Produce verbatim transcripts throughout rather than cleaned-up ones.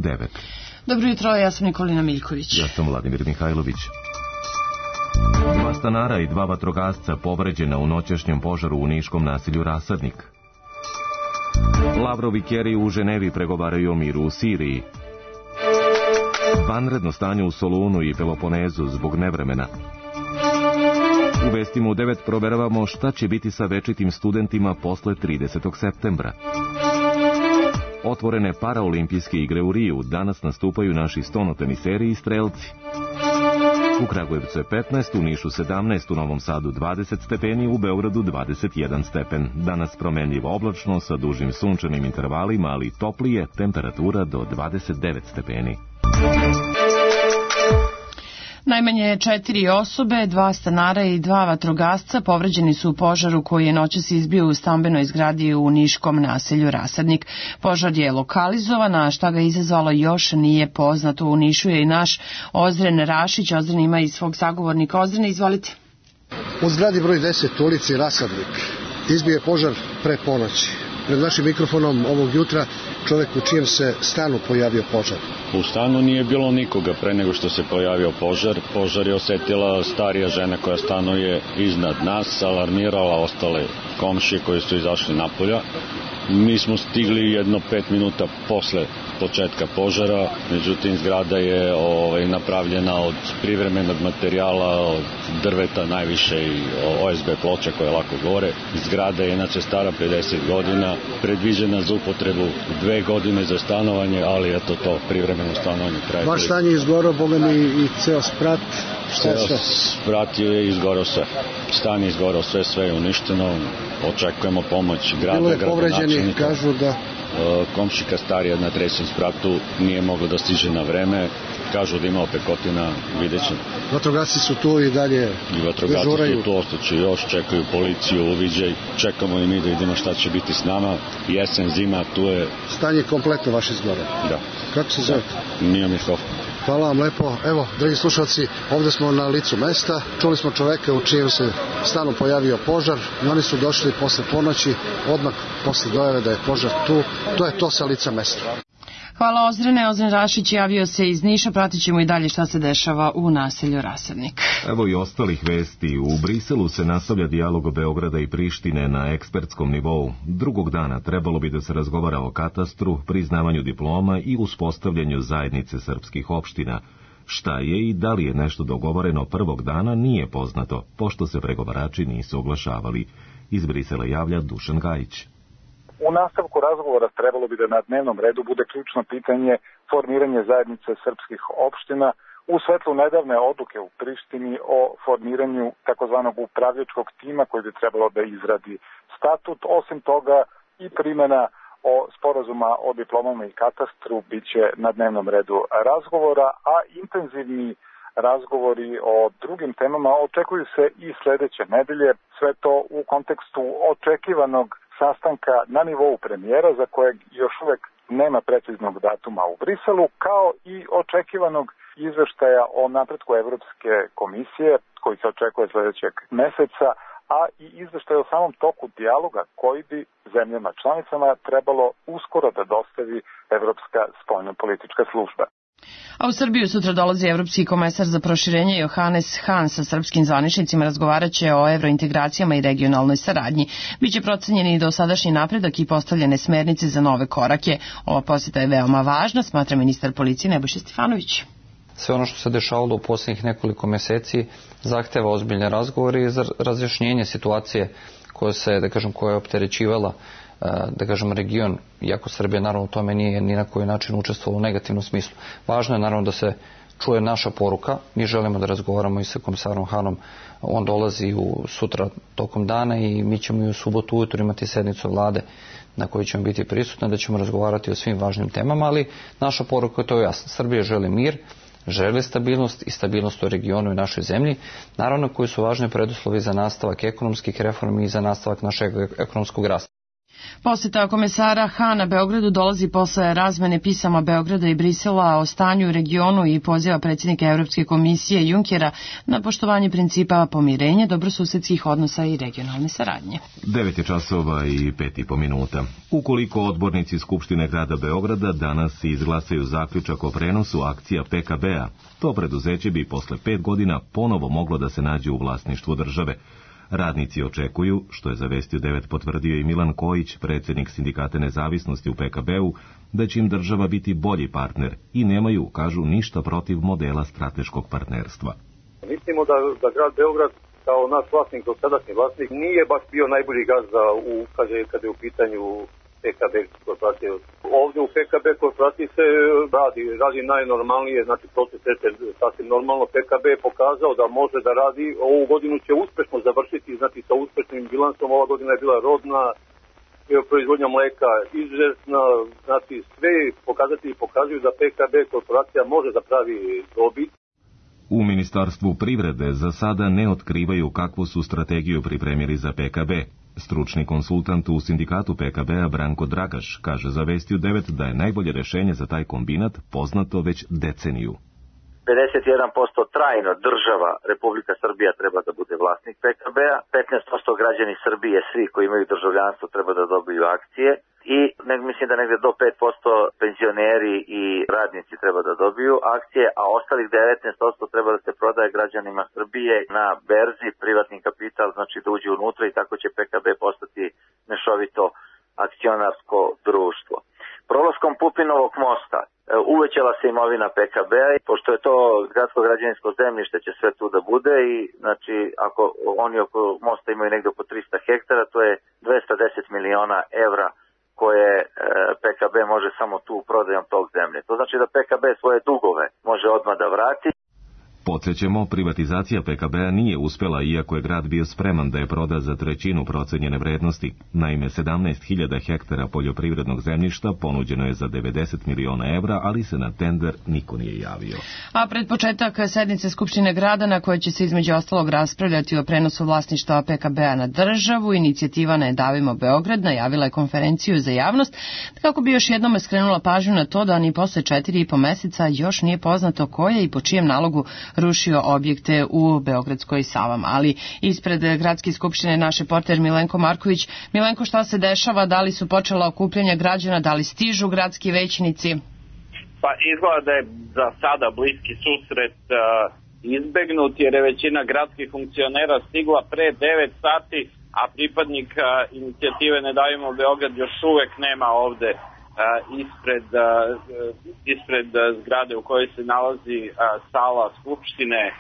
devet. Dobro jutro, ja sam Nikolina Miljković. Ja sam Vladimir Mihajlović. Dva stanara i dva vatrogasca povređena u noćašnjem požaru u niškom naselju Rasadnik. Lavrov i Kerry u Ženevi pregovaraju o miru u Siriji. Vanredno stanje u Solunu i Peloponezu zbog nevremena. U vestima u devet proveravamo šta će biti sa večitim studentima posle tridesetog septembra. Otvorene paraolimpijske igre u Riju, danas nastupaju naši stonoteniseri i strelci. U Kragujevcu je petnaest, u Nišu sedamnaest, u Novom Sadu dvadeset stepeni, u Beogradu dvadeset jedan stepen. Danas promenljivo oblačno sa dužim sunčanim intervalima, ali toplije, temperatura do dvadeset devet stepeni. Najmanje četiri osobe, dva stanara i dva vatrogasca povređeni su u požaru koji je noćas izbio u stambenoj zgradi u niškom naselju Rasadnik. Požar je lokalizovan, a šta ga izazvalo još nije poznato. U Nišu je i naš Ozren Rašić. Ozren ima i svog sagovornika. Ozren, izvolite. U zgradi broj deset u ulici Rasadnik izbio je požar pre ponoći. Pred našim mikrofonom ovog jutra čovjek u čijem se stanu pojavio požar. U stanu nije bilo nikoga pre nego što se pojavio požar. Požar je osetila starija žena koja stanuje iznad nas, alarmirala ostale komšije koji su izašli napolja. Mi smo stigli jedno pet minuta posle početka požara, međutim zgrada je ovaj, napravljena od privremenog materijala, od drveta najviše i O S B ploča koje lako gore. Zgrada je inače stara pedeset godina, predviđena za upotrebu dve godine za stanovanje, ali eto to privremeno stanovanje traje. Vaš stan je izgorao, boga mi i ceo sprat, šta je sve? Sprat je izgorao sve. Stan je izgorao sve, sve je uništeno. Očekujemo pomoć grada, bilo je povređeni, kažu da... Komšika starija na trećem spratu nije mogla da stiže na vreme. Kažu da ima opekotina, vidjet ćemo. Vatrogasci su tu i dalje I vatrogasci dežuraju. su tu, ostaće još, čekaju policiju, uviđaj. Čekamo i mi da vidimo šta će biti s nama. Jesen, zima, tu je... Stanje kompletno vaše zgore. Da. Kako se zove? Mija Mihof. Hvala vam lepo. Evo, dragi slušalci, ovdje smo na licu mesta. Čuli smo čoveka u čijem se stanu pojavio požar i oni su došli posle ponoći, odmah posle dojave da je požar tu. To je to sa lica mesta. Hvala Ozrene. Ozren Rašić javio se iz Niša. Pratit ćemo i dalje šta se dešava u naselju Rasadnik. Evo i ostalih vesti. U Briselu se nastavlja dijalog Beograda i Prištine na ekspertskom nivou. Drugog dana trebalo bi da se razgovara o katastru, priznavanju diploma i uspostavljanju zajednice srpskih opština. Šta je i da li je nešto dogovoreno prvog dana nije poznato, pošto se pregovarači nisu oglašavali. Iz Brisela javlja Dušan Gajić. U nastavku razgovora trebalo bi da na dnevnom redu bude ključno pitanje formiranje zajednice srpskih opština u svetlu nedavne odluke u Prištini o formiranju takozvanog upravljačkog tima koji bi trebalo da izradi statut. Osim toga i primjena o sporazuma o diplomama i katastru biće na dnevnom redu razgovora, a intenzivni razgovori o drugim temama očekuju se i sledeće nedelje. Sve to u kontekstu očekivanog sastanka na nivou premijera za kojeg još uvek nema preciznog datuma u Briselu, kao i očekivanog izveštaja o napretku Evropske komisije koji se očekuje sledećeg meseca, a i izveštaj o samom toku dijaloga koji bi zemljama članicama trebalo uskoro da dostavi Evropska spoljnopolitička služba. A u Srbiju sutra dolazi Evropski komesar za proširenje Johannes Hahn sa srpskim zvaničnicima. Razgovarat će o evrointegracijama i regionalnoj saradnji. Biće procenjen i dosadašnji napredak i postavljene smernice za nove korake. Ova posjeta je veoma važna, smatra ministar policije Nebojša Stefanović. Sve ono što se dešavalo u posljednjih nekoliko meseci zahteva ozbiljne razgovore i za razjašnjenje situacije koja se, da kažem, koja je opterećivala da kažem region, iako Srbija naravno u tome nije ni na koji način učestvovala u negativnom smislu. Važno je naravno da se čuje naša poruka. Mi želimo da razgovaramo i sa komisarom Hanom. On dolazi u sutra tokom dana i mi ćemo i u subotu ujutro imati sednicu vlade na kojoj ćemo biti prisutni, da ćemo razgovarati o svim važnim temama, ali naša poruka je to jasna. Srbija želi mir, želi stabilnost i stabilnost u regionu i našoj zemlji, naravno koji su važni preduslovi za nastavak ekonomskih reformi i za nastavak našeg ekonomskog rasta. Poseta komesara Hana Beogradu dolazi posle razmene pisama Beograda i Brisela o stanju u regionu i poziva predsjednika Evropske komisije Junckera na poštovanje principa pomirenja, dobrosusedskih odnosa i regionalne saradnje. devet je časova i pet i po minuta. Ukoliko odbornici Skupštine grada Beograda danas izglasaju zaključak o prenosu akcija P K B-a, to preduzeće bi posle pet godina ponovo moglo da se nađe u vlasništvu države. Radnici očekuju, što je za Vestiju devet potvrdio i Milan Kojić, predsjednik Sindikata nezavisnosti u P K B-u, da će im država biti bolji partner i nemaju, kažu, ništa protiv modela strateškog partnerstva. Mislimo da, da grad Beograd kao naš vlasnik, dosadašnji vlasnik, nije baš bio najbolji gazda u, kaže, kada je u pitanju P K B korporacije. Ovdje u P K B korporaciji se radi, radi najnormalnije, znači proces je sasvim normalno. P K B je pokazao da može da radi, ovu godinu će uspešno završiti, znači sa uspešnim bilansom. Ova godina je bila rodna, proizvodnja mleka izuzetna, znači sve pokazatelji pokazuju da P K B korporacija može da pravi dobit. U Ministarstvu privrede za sada ne otkrivaju kakvu su strategiju pripremili za P K B. Stručni konsultant u sindikatu P K B-a Branko Dragaš kaže za Vestiju devet da je najbolje rešenje za taj kombinat poznato već deceniju. pedeset jedan posto trajno država Republika Srbija treba da bude vlasnik P K B-a, petnaest posto građani Srbije, svi koji imaju državljanstvo, treba da dobiju akcije i ne, mislim da negde do pet posto penzioneri i radnici treba da dobiju akcije, a ostalih devetnaest posto treba da se prodaje građanima Srbije na berzi, privatni kapital, znači da uđe unutra i tako će P K B postati mešovito akcionarsko društvo. Prolaskom Pupinovog mosta uvećala se imovina P K B-a i pošto je to gradsko građevinsko zemljište će sve tu da bude i znači ako oni oko mosta imaju negde oko trista hektara, to je dvesta deset miliona evra koje P K B može samo tu prodajom tog zemlje. To znači da P K B svoje dugove može odmah da vrati. Podsjećamo, privatizacija P K B-a nije uspela, iako je grad bio spreman da je proda za trećinu procenjene vrednosti. Naime, sedamnaest hiljada hektara poljoprivrednog zemljišta ponuđeno je za devedeset miliona evra, ali se na tender niko nije javio. A pred početak sednice Skupštine grada, na kojoj će se između ostalog raspravljati o prenosu vlasništva P K B-a na državu, inicijativa Ne davimo Beograd najavila je konferenciju za javnost, kako bi još jednom skrenula pažnju na to da ni posle četiri i po meseca još nije poznato ko je i po čijem nalogu rušio objekte u Beogradskoj Savama. Ali ispred Gradske skupštine naš reporter Milenko Marković. Milenko, šta se dešava? Da li su počela okupljanja građana? Da li stižu gradski većnici? Pa izgleda da je za sada bliski susret uh, izbegnut, jer je većina gradskih funkcionera stigla pre devet sati, a pripadnik uh, inicijative Ne davimo Beograd još uvek nema ovde Uh, ispred, uh, ispred uh, zgrade u kojoj se nalazi uh, sala Skupštine uh,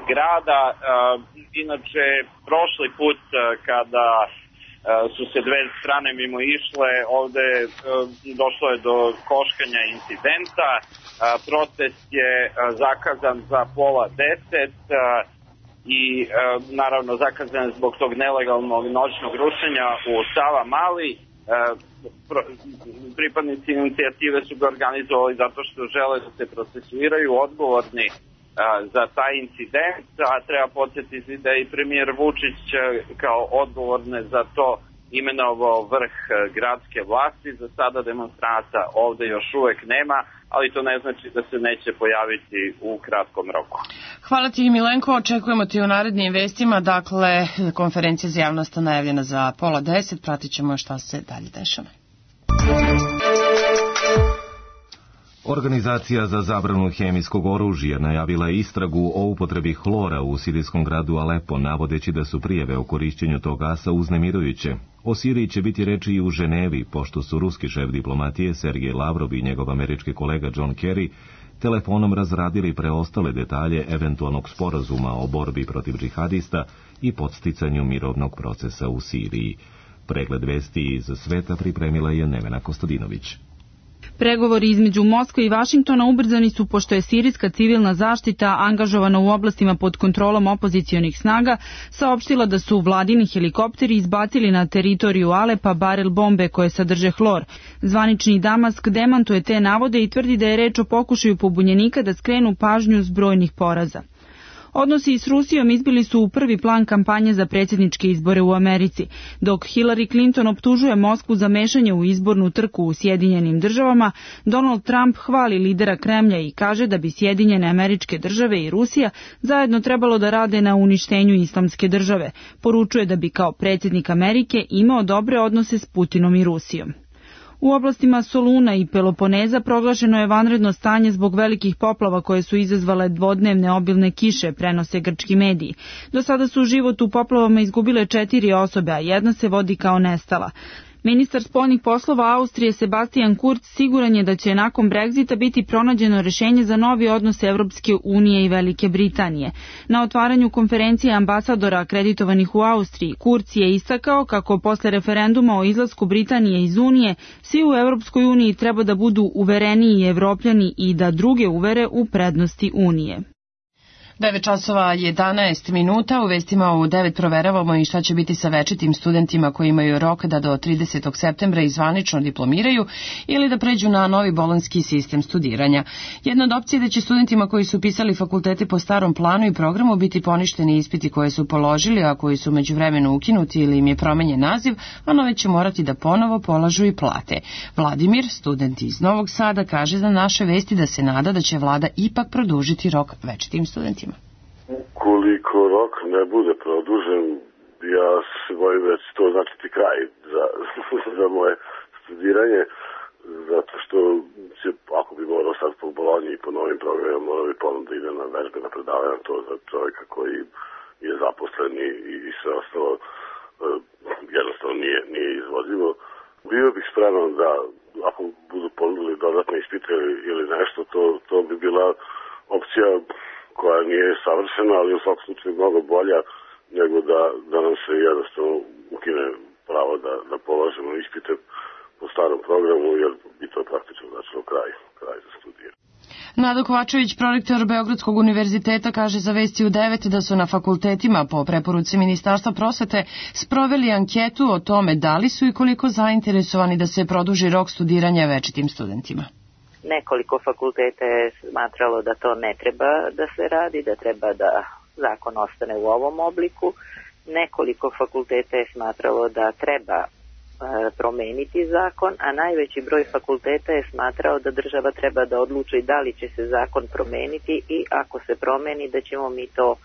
grada. Uh, inače, prošli put uh, kada uh, su se dve strane mimo išle, ovde uh, došlo je do koškanja incidenta. Uh, protest je uh, zakazan za pola deset uh, i uh, naravno zakazan zbog tog nelegalnog noćnog rušenja u Sava Mali. Pripadnici inicijative su ga organizovali zato što žele da se procesuiraju odgovorni za taj incident, a treba podsjetiti da je i premijer Vučić kao odgovorne za to imenovao vrh gradske vlasti. Za sada demonstranta ovde još uvek nema, ali to ne znači da se neće pojaviti u kratkom roku. Hvala ti, Milenko, očekujemo ti u narednim vestima. Dakle, konferencija za javnost najavljena za pola deset, pratit ćemo šta se dalje dešava. Organizacija za zabranu hemijskog oružja najavila je istragu o upotrebi hlora u sirijskom gradu Alepo, navodeći da su prijave o korišćenju tog gasa uznemirujuće. O Siriji će biti reči i u Ženevi, pošto su ruski šef diplomatije Sergej Lavrov i njegov američki kolega John Kerry telefonom razradili preostale detalje eventualnog sporazuma o borbi protiv džihadista i podsticanju mirovnog procesa u Siriji. Pregled vesti iz sveta pripremila je Nevena Kostadinović. Pregovori između Moskve i Vašingtona ubrzani su pošto je sirijska civilna zaštita angažovana u oblastima pod kontrolom opozicionih snaga saopštila da su vladini helikopteri izbacili na teritoriju Alepa barel bombe koje sadrže hlor. Zvanični Damask demantuje te navode i tvrdi da je reč o pokušaju pobunjenika da skrenu pažnju s brojnih poraza. Odnosi s Rusijom izbili su u prvi plan kampanje za predsjedničke izbore u Americi, dok Hillary Clinton optužuje Moskvu za mešanje u izbornu trku u Sjedinjenim državama, Donald Trump hvali lidera Kremlja i kaže da bi Sjedinjene Američke Države i Rusija zajedno trebalo da rade na uništenju islamske države. Poručuje da bi kao predsjednik Amerike imao dobre odnose s Putinom i Rusijom. U oblastima Soluna i Peloponeza proglašeno je vanredno stanje zbog velikih poplava koje su izazvale dvodnevne obilne kiše, prenose grčki mediji. Do sada su život u poplavama izgubile četiri osobe, a jedna se vodi kao nestala. Ministar spoljnih poslova Austrije Sebastian Kurz siguran je da će nakon Brexita biti pronađeno rješenje za novi odnos Evropske unije i Velike Britanije. Na otvaranju konferencije ambasadora akreditovanih u Austriji, Kurz je istakao kako posle referenduma o izlasku Britanije iz Unije, svi u Evropskoj uniji treba da budu uvereniji Evropljani i da druge uvere u prednosti Unije. devet časova jedanaest minuta, u vestima u devet proveravamo i šta će biti sa večitim studentima koji imaju rok da do tridesetog septembra i zvanično diplomiraju ili da pređu na novi bolonjski sistem studiranja. Jedna od opcija je da će studentima koji su upisali fakultete po starom planu i programu biti poništeni ispiti koje su položili, a koji su međuvremeno ukinuti ili im je promenjen naziv, a nove će morati da ponovo polažu i plate. Vladimir, student iz Novog Sada, kaže za naše vesti da se nada da će vlada ipak produžiti rok večitim studentima. Koliko rok ne bude produžen, ja se bojim da će to značiti kraj za, za moje studiranje, zato što će, ako bi morao sad po Bolonji i po novim programima, morao bi ponovno da ide na vežbe, na predavanja, to za čovjeka koji je zaposlen i, i sve ostalo jednostavno nije, nije izvodljivo. Bio bih spreman da, ako budu ponudili dodatne ispite ili nešto, to, to bi bila opcija koja nije savršena, ali u svakom slučaju mnogo bolja nego da, da nam se jednostavno ukine pravo da, da polažemo ispite po starom programu, jer bi to praktično značilo kraj, kraj za studije. Nado Kovačević, prorektor Beogradskog univerziteta, kaže za vesti u devet da su na fakultetima po preporuci Ministarstva prosvete sproveli anketu o tome da li su i koliko zainteresovani da se produži rok studiranja večitim studentima. Nekoliko fakulteta je smatralo da to ne treba da se radi, da treba da zakon ostane u ovom obliku. Nekoliko fakulteta je smatralo da treba e, promeniti zakon, a najveći broj fakulteta je smatrao da država treba da odluči da li će se zakon promeniti i ako se promeni da ćemo mi to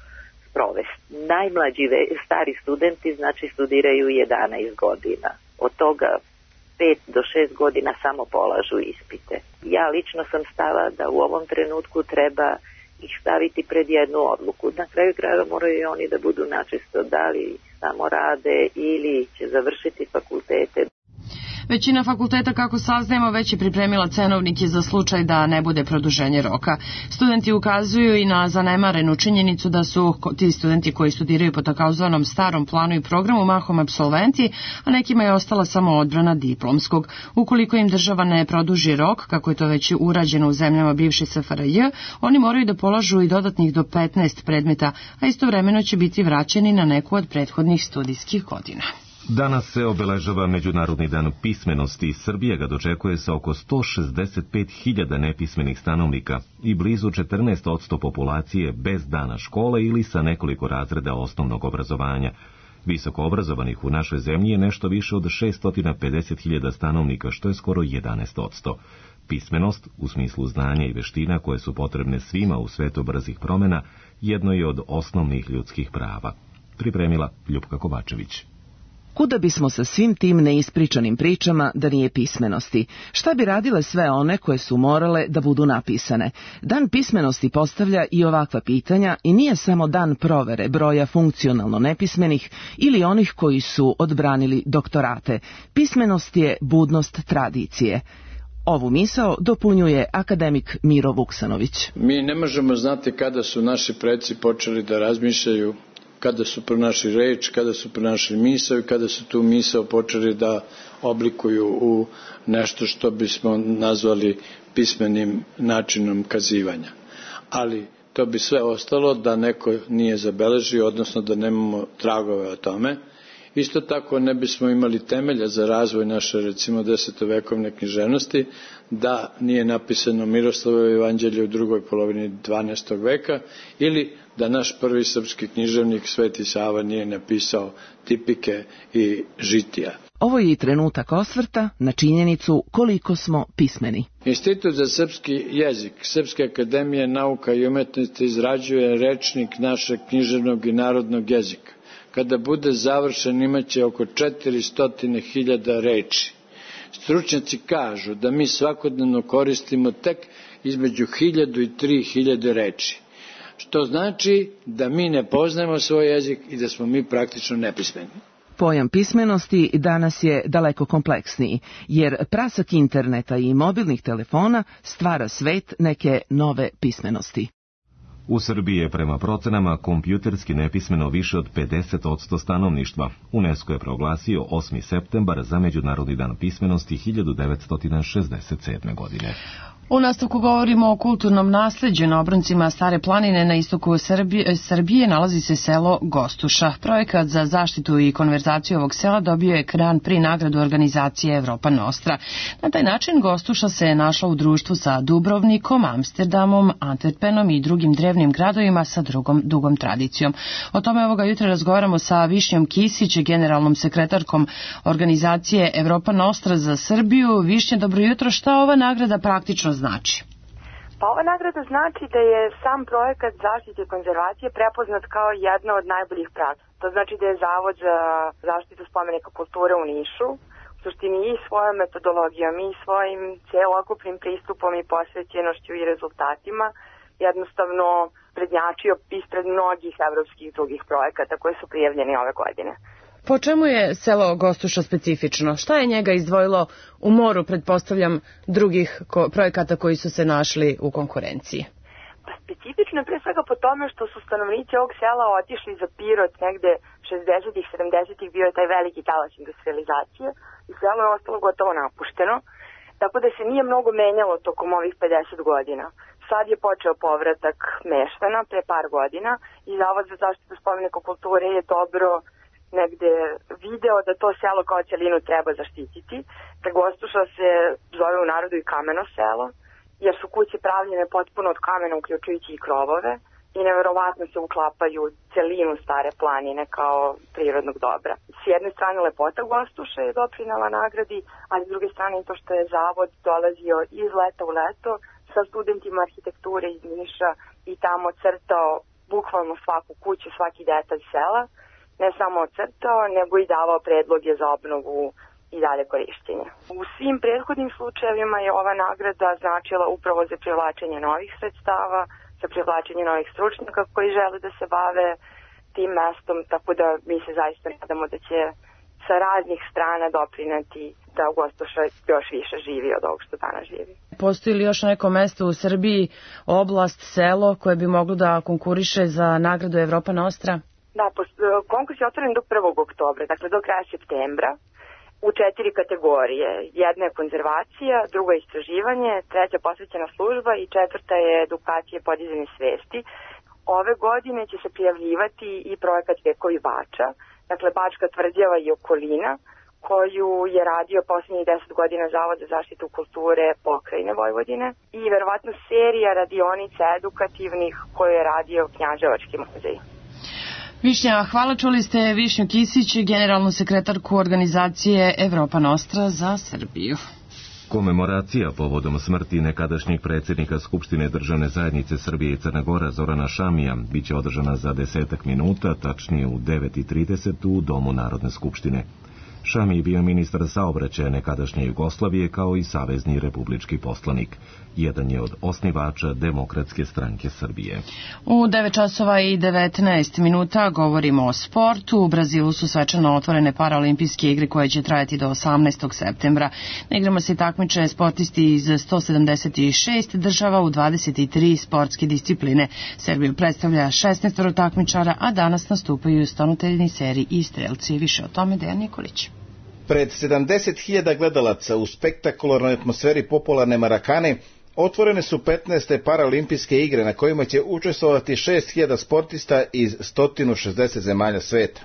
sprovesti. Najmlađi stari studenti znači studiraju jedanaest godina. Od toga pet do šest godina samo polažu ispite. Ja lično sam stava da u ovom trenutku treba ih staviti pred jednu odluku. Na kraju krajeva moraju i oni da budu načisto da li samo rade ili će završiti fakultete. Većina fakulteta, kako saznajemo, već je pripremila cenovnike za slučaj da ne bude produženje roka. Studenti ukazuju i na zanemarenu činjenicu da su ti studenti koji studiraju po takozvanom starom planu i programu mahom apsolventi, a nekima je ostala samo odbrana diplomskog. Ukoliko im država ne produži rok, kako je to već urađeno u zemljama bivše S F R J, oni moraju da polažu i dodatnih do petnaest predmeta, a istovremeno će biti vraćeni na neku od prethodnih studijskih godina. Danas se obeležava Međunarodni dan pismenosti. Srbija ga dočekuje sa oko sto šezdeset pet hiljada nepismenih stanovnika i blizu četrnaest posto populacije bez dana škole ili sa nekoliko razreda osnovnog obrazovanja. Visoko obrazovanih u našoj zemlji je nešto više od šesto pedeset hiljada stanovnika, što je skoro jedanaest posto. Pismenost, u smislu znanja i veština koje su potrebne svima u svetu brzih promjena, jedno je od osnovnih ljudskih prava. Pripremila Ljupka Kovačević. Kuda bismo sa svim tim neispričanim pričama da nije pismenosti? Šta bi radile sve one koje su morale da budu napisane? Dan pismenosti postavlja i ovakva pitanja i nije samo dan provere broja funkcionalno nepismenih ili onih koji su odbranili doktorate. Pismenost je budnost tradicije. Ovu misao dopunjuje akademik Miro Vuksanović. Mi ne možemo znati kada su naši preci počeli da razmišljaju, kada su pronašli reč, kada su pronašli misao i kada su tu misao počeli da oblikuju u nešto što bismo nazvali pismenim načinom kazivanja. Ali to bi sve ostalo da neko nije zabeležio, odnosno da nemamo tragove o tome Isto tako ne bismo imali temelja za razvoj naše, recimo, desetovekovne književnosti da nije napisano Miroslavljevo evanđelje u drugoj polovini dvanaestog veka ili da naš prvi srpski književnik Sveti Sava nije napisao tipike i žitija. Ovo je i trenutak osvrta na činjenicu koliko smo pismeni. Institut za srpski jezik Srpske akademije nauka i umetnosti izrađuje rečnik našeg književnog i narodnog jezika. Kada bude završen imaće oko četiristo hiljada reči. Stručnjaci kažu da mi svakodnevno koristimo tek između hiljadu i tri hiljade reči, što znači da mi ne poznajemo svoj jezik i da smo mi praktično nepismeni. Pojam pismenosti danas je daleko kompleksniji, jer prasak interneta i mobilnih telefona stvara svet neke nove pismenosti. U Srbiji je prema procenama kompjuterski nepismeno više od pedeset posto stanovništva. UNESCO je proglasio osmi septembar za Međunarodni dan pismenosti hiljadu devetsto šezdeset sedme. godine. U nastavku govorimo o kulturnom nasleđu. Na obroncima Stare planine na istoku Srbije, Srbije nalazi se selo Gostuša. Projekat za zaštitu i konverzaciju ovog sela dobio je Grand Prix nagradu organizacije Evropa Nostra. Na taj način Gostuša se je našla u društvu sa Dubrovnikom, Amsterdamom, Antwerpenom i drugim drevnim gradovima sa drugom dugom tradicijom. O tome ovoga jutra razgovaramo sa Višnjom Kisić, generalnom sekretarkom organizacije Evropa Nostra za Srbiju. Višnja, dobro jutro. Šta ova nagrada praktično znači? Pa ova nagrada znači da je sam projekat zaštite i konzervacije prepoznat kao jedna od najboljih praksi. To znači da je Zavod za zaštitu spomenika kulture u Nišu u suštini i svojom metodologijom i svojim celokupnim pristupom i posvećenošću i rezultatima jednostavno prednjačio ispred mnogih evropskih drugih projekata koji su prijavljeni ove godine. Po čemu je selo Gostuša specifično? Šta je njega izdvojilo u moru, pretpostavljam, drugih projekata koji su se našli u konkurenciji? Pa specifično je pre svega po tome što su stanovnici ovog sela otišli za Pirot negde šezdesetih, sedamdesetih, bio je taj veliki talas industrializacije i selo je ostalo gotovo napušteno, tako da se nije mnogo menjalo tokom ovih pedeset godina. Sad je počeo povratak meštana pre par godina i Zavod za zaštitu spomenika kulture je dobro negde video da to selo kao celinu treba zaštititi. Da Gostuša se zove u narodu i kameno selo, jer su kuće pravljene potpuno od kamena, uključujući i krovove, i neverovatno se uklapaju celinu Stare planine kao prirodnog dobra. S jedne strane lepota Gostuša je doprinala nagradi, a s druge strane i to što je Zavod dolazio iz leta u leto sa studentima arhitekture iz Niša i tamo crtao bukvalno svaku kuću, svaki detalj sela, ne samo ocrtao, nego i davao predloge za obnovu i dalje korišćenja. U svim prethodnim slučajevima je ova nagrada značila upravo za privlačenje novih sredstava, za privlačenje novih stručnjaka koji žele da se bave tim mestom, tako da mi se zaista nadamo da će sa raznih strana doprineti da Gostuša još više živi od ovog što danas živi. Postoji li još neko mesto u Srbiji, oblast, selo koje bi moglo da konkuriše za nagradu Evropa Nostra? Da, konkurs je otvoren do prvog oktobra, dakle do kraja septembra, u četiri kategorije. Jedna je konzervacija, druga je istraživanje, treća posvećena služba i četvrta je edukacija i podizanje svesti. Ove godine će se prijavljivati i projekat Vekovi Bača, dakle Bačka tvrđava i okolina, koju je radio posljednjih deset godina Zavod za zaštitu kulture pokrajine Vojvodine i verovatno serija radionica edukativnih koju je radio Knjaževački muzej. Višnja, hvala, čuli ste Višnju Kisić, generalnu sekretarku organizacije Evropa Nostra za Srbiju. Komemoracija povodom smrti nekadašnjeg predsjednika Skupštine državne zajednice Srbije i Crne Gore Zorana Šamija biće održana za desetak minuta, tačnije u devet i trideset u Domu Narodne skupštine. Šami je bio ministar saobraćaja nekadašnje Jugoslavije kao i savezni republički poslanik. Jedan je od osnivača Demokratske stranke Srbije. U devet časova i devetnaest minuta govorimo o sportu. U Brazilu su svečano otvorene paraolimpijske igre koje će trajati do osamnaestog septembra. Na igrama se takmiče sportisti iz sto sedamdeset šest država u dvadeset tri sportske discipline. Srbiju predstavlja šesnaest takmičara, a danas nastupaju stonoteljni seriji i strelci. Više o tome Dejan Nikolić. Pred sedamdeset hiljada gledalaca u spektakularnoj atmosferi popularne Marakane otvorene su petnaeste paraolimpijske igre na kojima će učestvovati šest hiljada sportista iz sto šezdeset zemalja sveta.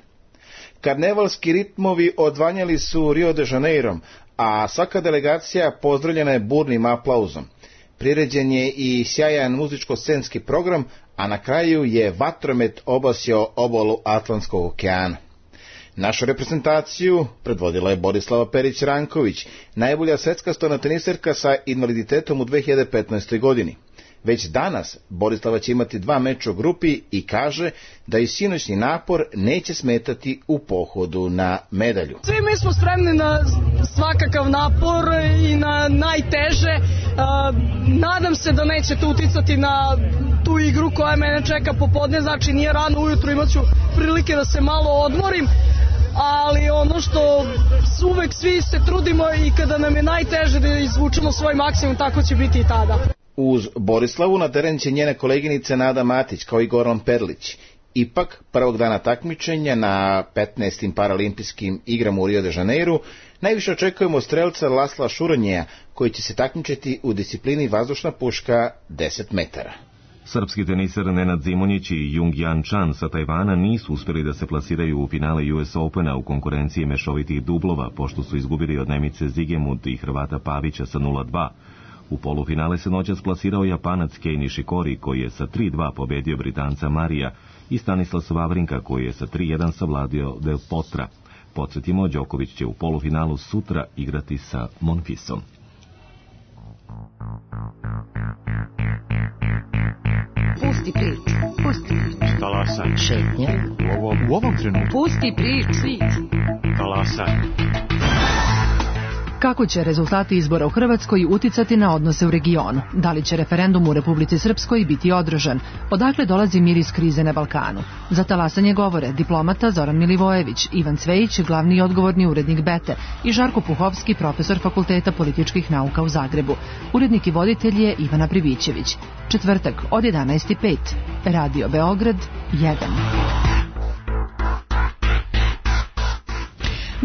Karnevalski ritmovi odvanjali su Rio de Janeirom, a svaka delegacija pozdravljena je burnim aplauzom. Priređen je i sjajan muzičko-scenski program, a na kraju je vatromet obasio obalu Atlantskog okeana. Našu reprezentaciju predvodila je Borislava Perić-Ranković, najbolja svetska stonoteniserka sa invaliditetom u dve hiljade petnaestoj. godini. Već danas Borislava će imati dva meča u grupi i kaže da i sinoćni napor neće smetati u pohodu na medalju. Svi mi smo spremni na svakakav napor i na najteže. Nadam se da nećete uticati na tu igru koja mene čeka popodne, znači nije rano ujutru, imat ću prilike da se malo odmorim, ali ono što uvek svi se trudimo i kada nam je najteže da izvučemo svoj maksimum, tako će biti i tada. Uz Borislavu na teren će njene koleginice Nada Matić kao i Goran Perlić. Ipak, prvog dana takmičenja na petnaestim paralimpijskim igrama u Rio de Janeiru najviše očekujemo strelca Lasla Šuronjeja, koji će se takmičiti u disciplini vazdušna puška deset metara. Srpski teniser Nenad Zimonjić i Jung Jan Chan sa Tajvana nisu uspjeli da se plasiraju u finale U S Opena u konkurenciji mešovitih dublova, pošto su izgubili od Nemice Zigemund i Hrvata Pavića sa nula dva. U polufinale se noćas plasirao Japanac Kei Nishikori, koji je sa tri dva pobedio Britanca Marija, i Stanislas Wawrinka, koji je sa tri jedan savladio Del Potra. Podsjetimo, Đoković će u polufinalu sutra igrati sa Monfisom. Pusti priču, pusti priču. Talasaj. Šetnja. U ovom, u ovom trenutku. Pusti priču. Talasaj. Kako će rezultati izbora u Hrvatskoj uticati na odnose u regionu? Da li će referendum u Republici Srpskoj biti održan? Odakle dolazi miris krize na Balkanu? Za talasanje govore diplomata Zoran Milivojević, Ivan Cvejić, glavni i odgovorni urednik Bete, i Žarko Puhovski, profesor Fakulteta političkih nauka u Zagrebu. Urednik i voditelj je Ivana Pribićević. Četvrtak od jedanaest i pet. Radio Beograd jedan.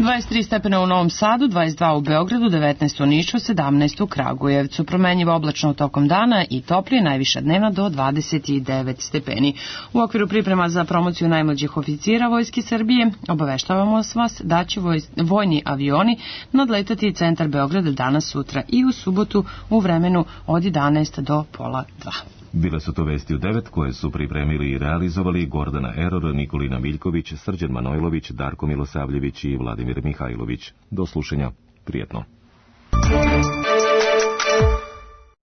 dvadeset tri stepena u Novom Sadu, dvadeset dva u Beogradu, devetnaest u Nišu, sedamnaest u Kragujevcu. Promenjivo oblačno tokom dana i toplije, najviša dnevna do dvadeset devet stepeni. U okviru priprema za promociju najmlađih oficira Vojske Srbije obaveštavamo vas da će voj, vojni avioni nadletati centar Beograda danas, sutra i u subotu u vremenu od jedanaest do pola dva. Bile su to vesti u devet koje su pripremili i realizovali Gordana Eror, Nikolina Miljković, Srđan Manojlović, Darko Milosavljević i Vladimir Mihajlović. Do slušanja. Prijetno.